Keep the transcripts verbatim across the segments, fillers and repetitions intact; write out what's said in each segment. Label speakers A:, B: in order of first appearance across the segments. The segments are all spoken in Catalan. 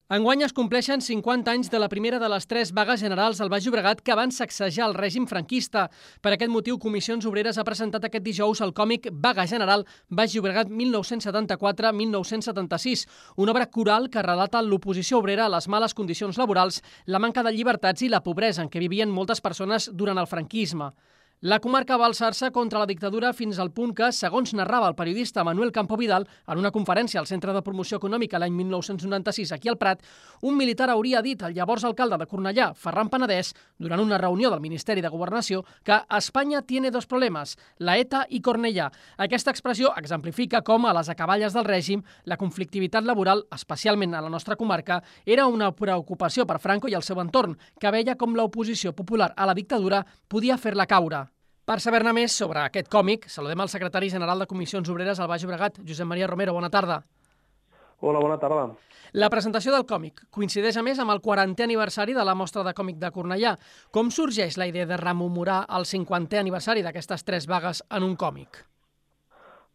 A: Enguany es compleixen cinquanta anys de la primera de les tres vagues generals al Baix Llobregat que van sacsejar el règim franquista. Per aquest motiu, Comissions Obreres ha presentat aquest dijous el còmic Vaga General Baix Llobregat mil nou-cents setanta-quatre a mil nou-cents setanta-sis, una obra coral que relata l'oposició obrera a les males condicions laborals, la manca de llibertats i la pobresa en què vivien moltes persones durant el franquisme. La comarca va alçar-se contra la dictadura fins al punt que, segons narrava el periodista Manuel Campo Vidal en una conferència al Centre de Promoció Econòmica l'any mil nou-cents noranta-sis aquí al Prat, un militar hauria dit al llavors alcalde de Cornellà, Ferran Penedès, durant una reunió del Ministeri de Governació, que Espanya tiene dos problemes, la ETA i Cornellà. Aquesta expressió exemplifica com, a les acaballes del règim, la conflictivitat laboral, especialment a la nostra comarca, era una preocupació per Franco i el seu entorn, que veia com l'oposició popular a la dictadura podia fer-la caure. Per saber-ne més sobre aquest còmic, saludem al secretari general de Comissions Obreres al Baix Llobregat, Josep Maria Romero. Bona tarda.
B: Hola, bona tarda.
A: La presentació del còmic coincideix a més amb el quarantè aniversari de la Mostra de Còmic de Cornellà. Com sorgeix la idea de rememorar el cinquantè aniversari d'aquestes tres vagues en un còmic?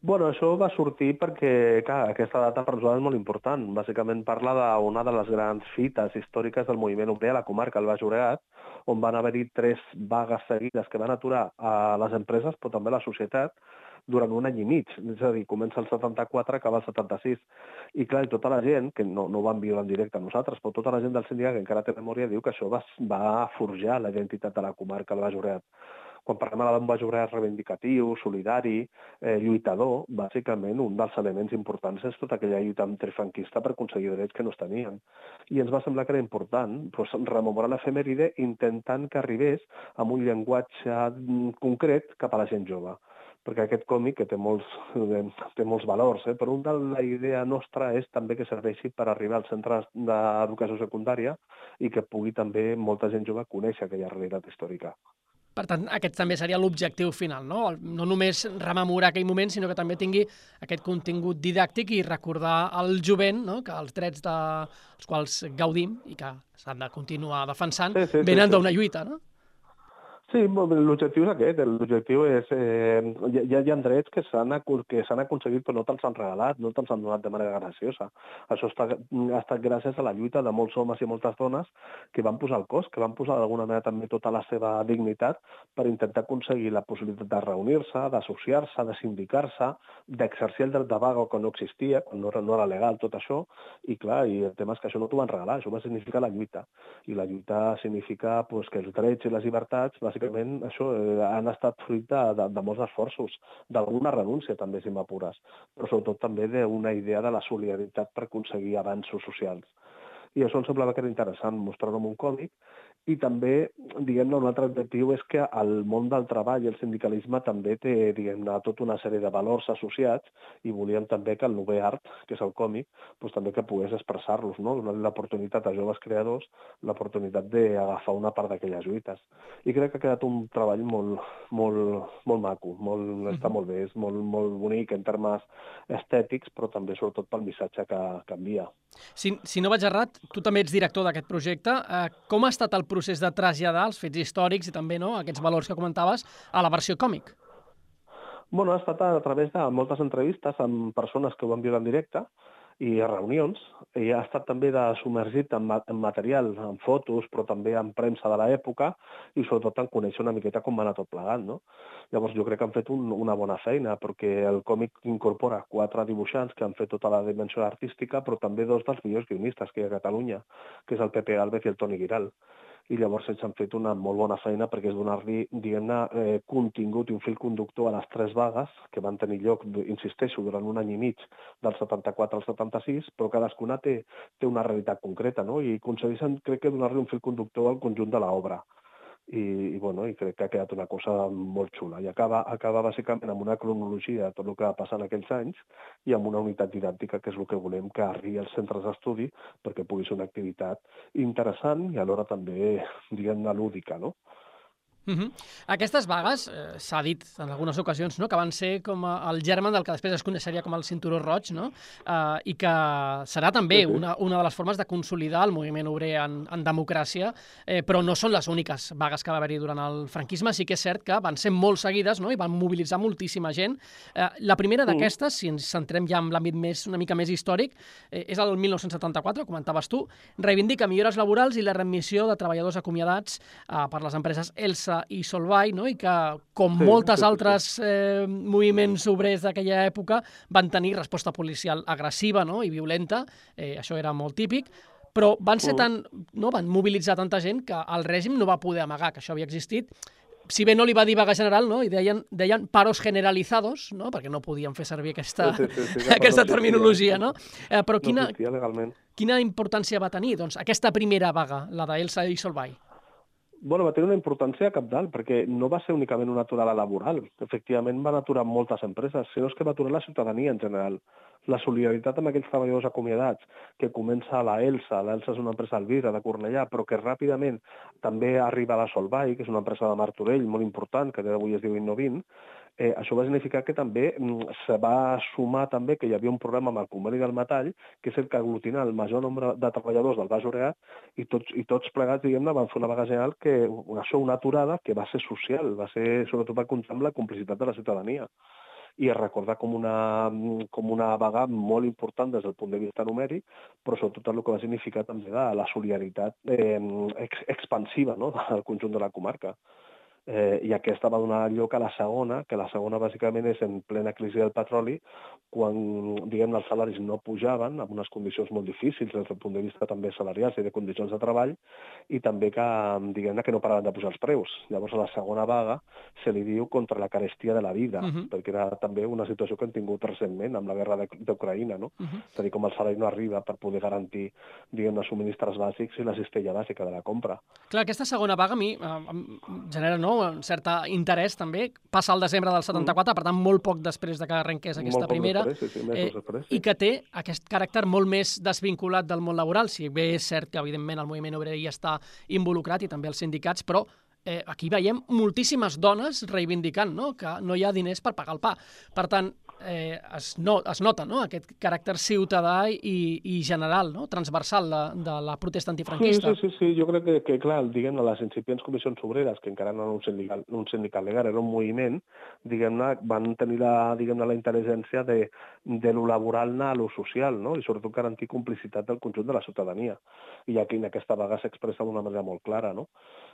B: Bueno, això va sortir perquè, clar, aquesta data per nosaltres és molt important. Bàsicament parla d'una de les grans fites històriques del moviment obrer a la comarca, el Baix Llobregat, on van haver-hi tres vagues seguides que van aturar a les empreses, però també a la societat, durant un any i mig. És a dir, comença el setanta-quatre, acaba el setanta-sis. I clar, tota la gent, que no, no ho vam viure en directe a nosaltres, però tota la gent del sindicat que encara té memòria diu que això va, va forjar la identitat de la comarca del Baix Llobregat. Quan parlem d'un Baix Llobregat reivindicatiu, solidari, eh, lluitador, bàsicament un dels elements importants és tota aquella lluita antifranquista per aconseguir drets que no es tenien. I ens va semblar que era important doncs, rememorar l'efemèride intentant que arribés amb un llenguatge concret cap a la gent jove. Perquè aquest còmic, que té molts, té molts valors, eh? però una de la idea nostra és també que serveixi per arribar als centres d'educació secundària i que pugui també molta gent jove conèixer aquella realitat històrica.
A: Per tant, aquest també seria l'objectiu final, no? No només rememorar aquell moment, sinó que també tingui aquest contingut didàctic i recordar al jovent, no?, que els drets dels quals gaudim i que s'han de continuar defensant
B: sí, sí,
A: venen
B: sí, sí.
A: d'una lluita, no?
B: Sí, l'objectiu és aquest. L'objectiu és... Eh, hi, hi ha drets que s'han aconseguit però no te'ls han regalat, no te'ls han donat de manera graciosa. Això està, ha estat gràcies a la lluita de molts homes i moltes dones que van posar el cos, que van posar d'alguna manera també tota la seva dignitat per intentar aconseguir la possibilitat de reunir-se, d'associar-se, de sindicar-se, d'exercir el dret de vaga que no existia, quan no era, no era legal tot això, i clar, i el tema és que això no t'ho van regalar, això va significar la lluita. I la lluita significa pues, que els drets i les llibertats, bàsicament, això eh, han estat fruit de, de, de molts esforços, d'alguna renúncia també, si m'apures, però sobretot també d'una idea de la solidaritat per aconseguir avanços socials. I això em semblava que era interessant mostrar-ho en un còmic, i també, diguem-ne, un altre objectiu és que el món del treball i el sindicalisme també té, diguem-ne, tota una sèrie de valors associats i volíem també que el nou art, que és el còmic, doncs també que pogués expressar-los, no? Donar l'oportunitat a joves creadors, l'oportunitat d'agafar una part d'aquelles lluites. I crec que ha quedat un treball molt, molt, molt maco, molt, uh-huh. Està molt bé, és molt, molt bonic en termes estètics, però també sobretot pel missatge que, que envia.
A: Si, si no vaig errat, tu també ets director d'aquest projecte. Eh, com ha estat el procés de traslladar els fets històrics i també no, aquests valors que comentaves a la versió còmic?
B: Bueno, ha estat a través de moltes entrevistes amb persones que ho van viure en directe i a reunions, i ha estat també de submergit en, en material, en fotos, però també en premsa de l'època i sobretot en conèixer una miqueta com va anar tot plegat, no? Llavors jo crec que han fet un, una bona feina perquè el còmic incorpora quatre dibuixants que han fet tota la dimensió artística, però també dos dels millors guionistes que hi ha a Catalunya, que és el Pepe Gálvez i el Toni Giral. I llavors ells han fet una molt bona feina perquè és donar-li, diguem-ne, eh, contingut i un fil conductor a les tres vagues que van tenir lloc, insisteixo, durant un any i mig, del setanta-quatre al setanta-sis, però cadascuna té, té una realitat concreta, no? I aconsegueixen, crec que, donar-li un fil conductor al conjunt de l'obra. I, i, bueno, i crec que ha quedat una cosa molt xula. I acaba, acaba bàsicament amb una cronologia de tot el que va passar en aquells anys i amb una unitat didàctica, que és el que volem que arribi als centres d'estudi perquè pugui ser una activitat interessant i alhora també, diguem-ne, lúdica, no?
A: Uh-huh. Aquestes vagues, eh, s'ha dit en algunes ocasions, no?, que van ser com el germen del que després es coneixeria com el cinturó roig, no?, uh, i que serà també
B: Sí, sí.
A: una, una de les formes de consolidar el moviment obrer en, en democràcia, eh, però no són les úniques vagues que va haver-hi durant el franquisme. Sí que és cert que van ser molt seguides, no?, i van mobilitzar moltíssima gent. Eh, la primera
B: Mm.
A: d'aquestes, si ens centrem ja en l'àmbit més, una mica més històric, eh, és el mil nou-cents setanta-quatre, comentaves tu, reivindica millores laborals i la readmissió de treballadors acomiadats eh, per les empreses Elsa i Solvay, no?, i que, com
B: Sí,
A: moltes
B: sí, sí,
A: altres eh, moviments obrers d'aquella època, van tenir resposta policial agressiva, no?, i violenta, eh, això era molt típic, però van ser
B: Mm.
A: tan, no?, van mobilitzar tanta gent que el règim no va poder amagar que això havia existit. Si bé no li va dir vaga general, no?, i deien, deien paros generalizados, no?, perquè no podien fer servir aquesta,
B: Sí, sí, sí, que
A: aquesta
B: no existia.
A: terminologia, no? Eh, però
B: No
A: quina,
B: existia legalment.
A: quina importància va tenir, doncs, aquesta primera vaga, la d'Elsa i Solvay?
B: Bueno, va tenir una importància cabdal, perquè no va ser únicament una aturada laboral. Efectivament, van aturar moltes empreses, sinó és que va aturar la ciutadania en general. La solidaritat amb aquells treballadors acomiadats, que comença a la Elsa, l'Elsa és una empresa al Vidre de Cornellà, però que ràpidament també arriba a la Solvay, que és una empresa de Martorell molt important, que avui es diu Innovint. Eh, això va significar que també mm, se va sumar també que hi havia un problema amb el conveni del metall, que és el que aglutina el major nombre de treballadors del Baix Llobregat, i tots, i tots plegats, diguem-ne, van fer una vaga general que, això, una aturada que va ser social, va ser sobretot per comptar amb la complicitat de la ciutadania. I es recorda com una, com una vaga molt important des del punt de vista numèric, però sobretot el que va significar també de la solidaritat eh, ex expansiva, no?, del conjunt de la comarca. Eh, I aquesta va donar lloc a la segona, que la segona bàsicament és en plena crisi del petroli, quan, diguem, els salaris no pujaven, amb unes condicions molt difícils des del punt de vista també salarials i de condicions de treball, i també que, diguem, que no paraven de pujar els preus. Llavors, a la segona vaga se li diu contra la carestia de la vida,
A: Uh -huh.
B: perquè era també una situació que hem tingut recentment amb la guerra d'Ucraïna, no?
A: Uh -huh.
B: És a dir, com el salari no arriba per poder garantir, diguem, els subministres bàsics i la cistella bàsica de la compra.
A: Clar, aquesta segona vaga a mi eh, em genera, no?, un cert interès també. Passa al desembre del setanta-quatre, mm. per tant, molt poc després de que arrenqués aquesta
B: Molt poc
A: primera,
B: després, sí, sí, mesos
A: eh,
B: després, sí.
A: i que té aquest caràcter molt més desvinculat del món laboral. Si bé és cert que, evidentment, el moviment obrer hi està involucrat i també els sindicats, però eh, aquí veiem moltíssimes dones reivindicant, no?, que no hi ha diners per pagar el pa. Per tant, eh, es, no, es nota, no?, aquest caràcter ciutadà i, i general, no?, transversal de, de la protesta antifranquista.
B: Sí, sí, sí, sí. Jo crec que, que clar, diguem-ne, les incipients comissions obreres, que encara no eren un sindical, un sindicat legal, era un moviment, diguem-ne, van tenir la, diguem-ne, la intel·ligència de, de lo laboral anar a lo social, no?, i sobretot garantir complicitat del conjunt de la ciutadania. I aquí en aquesta vaga s'expressa d'una manera molt clara, no?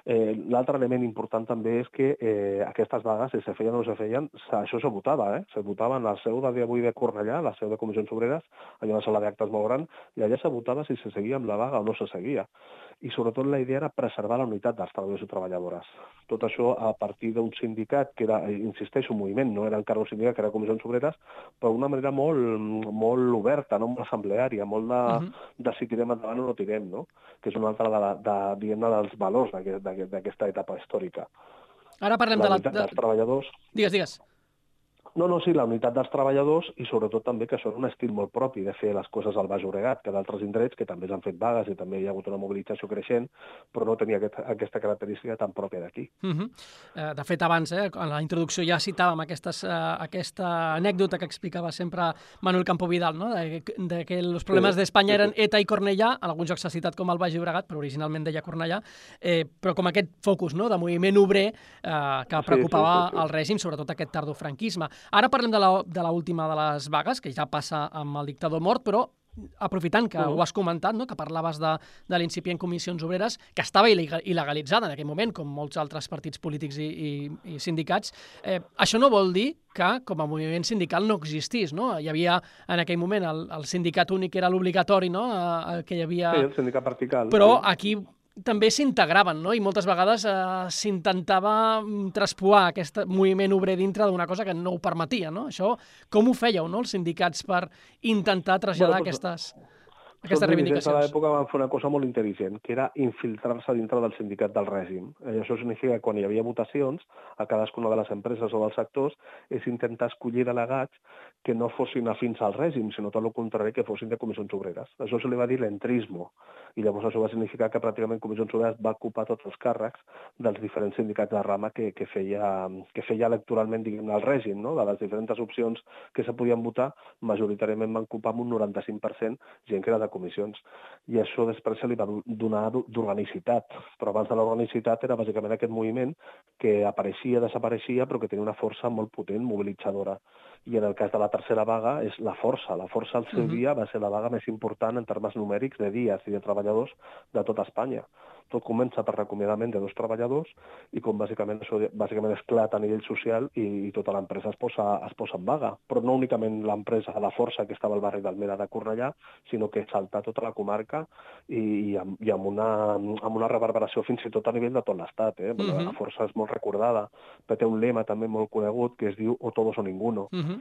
B: Eh, L'altre element important també és que eh, aquestes vagues, si se feien o no se feien, això se votava, eh? Se votava en la seu de d'avui de Cornellà, la seu de comissions obreres, allà una sala d'actes molt gran, i allà se votava si se seguia amb la vaga o no se seguia. I sobretot la idea era preservar la unitat dels treballadors i treballadores. Tot això a partir d'un sindicat, que era, insisteixo, un moviment, no era encara un sindicat, que era comissions obreres, però d'una manera molt, molt oberta, no?, molt assembleària, molt de, uh -huh. de si tirem endavant o no tirem, no?, que és una altra de, la, de, diguem-ne, dels valors d'aquesta etapa històrica.
A: Ara parlem
B: la
A: de la...
B: unitat dels treballadors.
A: Digues, digues.
B: No, no, sí, la unitat dels treballadors i sobretot també que això és un estil molt propi de fer les coses al Baix Llobregat, que d'altres indrets que també s'han fet vagues i també hi ha hagut una mobilització creixent, però no tenia aquest, aquesta característica tan pròpia d'aquí.
A: Uh -huh. eh, de fet, abans, eh, en la introducció ja citàvem aquestes, eh, aquesta anècdota que explicava sempre Manuel Campo Vidal, no?, de, de que els problemes sí, d'Espanya sí, eren sí. ETA i Cornellà, en alguns jocs s'ha citat com el Baix Llobregat, però originalment deia Cornellà, eh, però com aquest focus, no?, de moviment obrer eh, que preocupava sí, sí, sí, sí. el règim, sobretot aquest tardofranquisme. Ara parlem de la de l'última de les vagues, que ja passa amb el dictador mort, però aprofitant que uh -huh. ho has comentat, no?, que parlaves de, de l'incipient Comissions Obreres, que estava il·legalitzada en aquell moment, com molts altres partits polítics i, i, i sindicats, eh, això no vol dir que com a moviment sindical no existís, no? Hi havia en aquell moment el, el sindicat únic, que era l'obligatori, no?, eh, que hi havia...
B: Sí, el sindicat vertical.
A: Però
B: sí.
A: aquí també s'integraven, no?, i moltes vegades eh, s'intentava traspuar aquest moviment obrer dintre d'una cosa que no ho permetia, no? Això, com ho fèieu, no?, els sindicats, per intentar traslladar bueno, doncs, aquestes, aquestes reivindicacions?
B: Els dirigents de l'època van fer una cosa molt intel·ligent, que era infiltrar-se dintre del sindicat del règim. I això significa que quan hi havia votacions a cadascuna de les empreses o dels sectors és intentar escollir delegats que no fossin afins al règim, sinó tot el contrari, que fossin de comissions obreres. Això se li va dir l'entrismo, I llavors això va significar que pràcticament Comissions Obreres va ocupar tots els càrrecs dels diferents sindicats de rama que, que, feia, que feia electoralment, diguem, el règim, no? De les diferents opcions que se podien votar, majoritàriament van ocupar amb un noranta-cinc per cent gent que era de comissions. I això després se li va donar d'organicitat. Però abans de l'organicitat era bàsicament aquest moviment que apareixia, desapareixia, però que tenia una força molt potent, mobilitzadora. I en el cas de la tercera vaga és la força. La força al seu uh-huh. dia va ser la vaga més important en termes numèrics de dies i de treballadors de tota Espanya. Tot comença per recomiadament de dos treballadors i com bàsicament això bàsicament esclata a nivell social i, i tota l'empresa es posa, es posa en vaga. Però no únicament l'empresa, la força que estava al barri d'Almeda de Cornellà, sinó que salta tota la comarca i, i, amb, i amb, una, amb una reverberació fins i tot a nivell de tot l'estat. Eh? Uh-huh. La força és molt recordada, però té un lema també molt conegut que es diu o todos o ninguno. Uh-huh.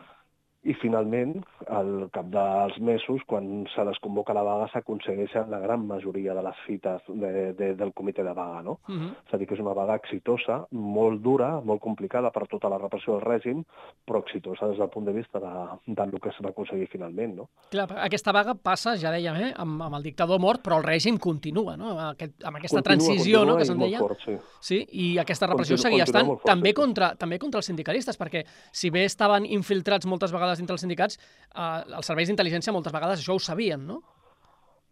B: I finalment, al cap dels mesos, quan se desconvoca la vaga, s'aconsegueixen la gran majoria de les fites de, de, del comitè de vaga, no? Uh-huh. És a dir, que és una vaga exitosa, molt dura, molt complicada per tota la repressió del règim, però exitosa des del punt de vista de, del que es va aconseguir finalment, no?
A: Clar, aquesta vaga passa, ja dèiem, eh, amb, amb el dictador mort, però el règim continua, no? Aquest, amb aquesta continua, transició, continua, no?, que se'n deia.
B: Fort, sí.
A: Sí, i aquesta repressió continua, seguia estant fort, també, sí. contra, també contra els sindicalistes, perquè si bé estaven infiltrats moltes vegades dintre els sindicats, eh, els serveis d'intel·ligència moltes vegades això ho sabien, no?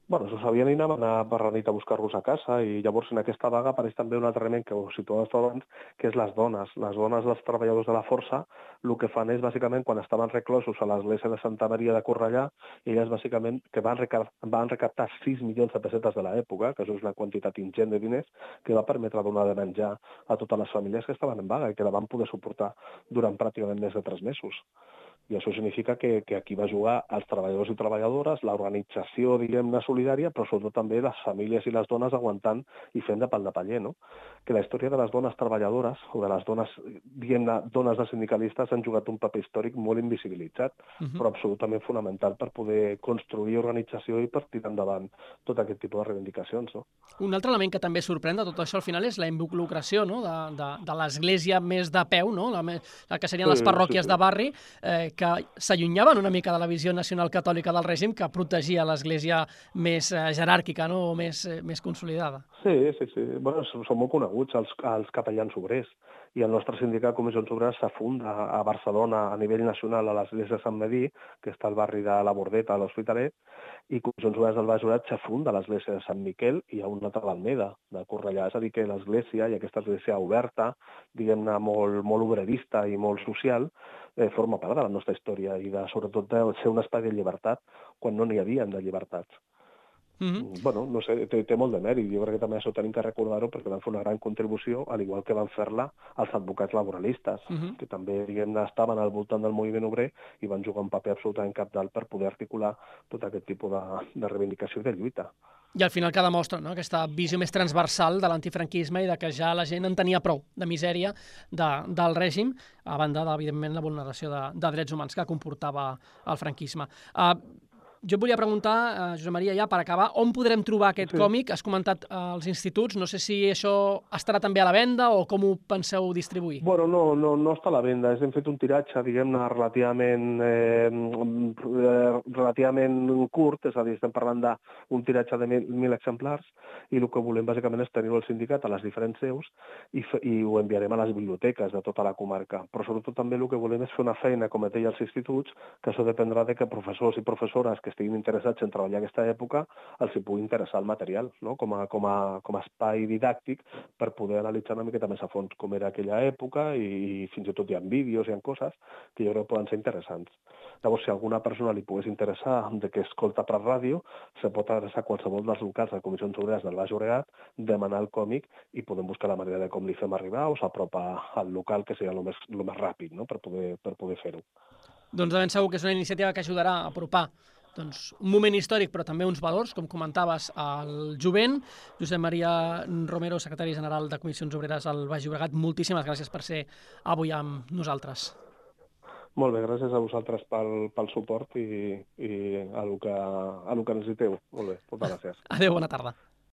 B: Bueno, s'ho sabien i anaven a per la nit a buscar-los a casa i llavors en aquesta vaga apareix també un altre element que ho situaves abans, que és les dones. Les dones dels treballadors de la força el que fan és bàsicament quan estaven reclosos a l'església de Santa Maria de Cornellà, elles bàsicament que van, recap van recaptar sis milions de pessetes de l'època, que això és una quantitat ingent de diners, que va permetre donar de menjar a totes les famílies que estaven en vaga i que la van poder suportar durant pràcticament més de tres mesos. I això significa que, que aquí va jugar els treballadors i treballadores, l'organització, diguem-ne, solidària, però sobretot també les famílies i les dones aguantant i fent de pal de paller, no? Que la història de les dones treballadores, o de les dones, diguem-ne, dones de sindicalistes, han jugat un paper històric molt invisibilitzat, uh-huh. però absolutament fonamental per poder construir organització i per tirar endavant tot aquest tipus de reivindicacions, no?
A: Un altre element que també sorprèn de tot això al final és la involucració, no?, de, de, de l'església més de peu, no?, la, la que serien sí, les parròquies sí, sí. de barri, eh, que s'allunyaven una mica de la visió nacional catòlica del règim que protegia l'església més eh, jeràrquica, no?, o més, eh, més consolidada.
B: Sí, sí, sí. Bueno, són molt coneguts els, els capellans obrers i el nostre sindicat Comissions Obreres s'afunda a Barcelona a nivell nacional a l'església de Sant Medí, que està al barri de la Bordeta, a l'Hospitalet, i Comissions Obreres del Baix Llobregat s'afunda a l'església de Sant Miquel i a una altra a l'Almeda, de Cornellà. És a dir, que l'església, i aquesta església oberta, diguem-ne, molt, molt obrerista i molt social, eh, forma part de la nostra història i de, sobretot de ser un espai de llibertat quan no n'hi havia de llibertats. Mm-hmm. Bueno, no sé, té, té molt de mèrit. Jo crec que també això tenim que recordar-ho perquè van fer una gran contribució, al igual que van fer-la els advocats laboralistes, mm-hmm. que també, diguem-ne, estaven al voltant del moviment obrer i van jugar un paper absolutament cabdal per poder articular tot aquest tipus de, de reivindicació i de lluita.
A: I al final que demostra, no?, aquesta visió més transversal de l'antifranquisme i de que ja la gent en tenia prou de misèria de, del règim, a banda, de, evidentment, la vulneració de, de drets humans que comportava el franquisme. Uh, Jo et volia preguntar, eh, Josep Maria, ja per acabar, on podrem trobar aquest sí. còmic? Has comentat eh, els instituts, no sé si això estarà també a la venda o com ho penseu distribuir?
B: Bueno, no, no, no està a la venda. Hem fet un tiratge, diguem-ne, relativament, eh, relativament curt, és a dir, estem parlant d'un tiratge de mil, mil exemplars, i el que volem bàsicament és tenir-ho al sindicat a les diferents seus i, i ho enviarem a les biblioteques de tota la comarca. Però sobretot també el que volem és fer una feina, com et deia, als instituts, que això dependrà de que professors i professores que estiguin interessats en treballar aquesta època els hi pugui interessar el material, no?, com a, com a, com a espai didàctic per poder analitzar una miqueta més a fons com era aquella època i, i fins i tot hi ha vídeos, hi ha coses que jo crec que poden ser interessants. Llavors, si a alguna persona li pogués interessar de que escolta per ràdio, se pot adreçar a qualsevol dels locals de Comissions Obreres del Baix Llobregat, demanar el còmic i podem buscar la manera de com li fem arribar o s'apropa al local, que seria el més, el més ràpid, no?, per poder, per poder fer-ho.
A: Doncs de ben segur que és una iniciativa que ajudarà a apropar doncs, un moment històric, però també uns valors, com comentaves, al jovent. Josep Maria Romero, secretari general de Comissions Obreres al Baix Llobregat, moltíssimes gràcies per ser avui amb nosaltres.
B: Molt bé, gràcies a vosaltres pel, pel suport i, i a el que, a el que necessiteu. Molt bé, moltes gràcies.
A: Adéu, bona tarda.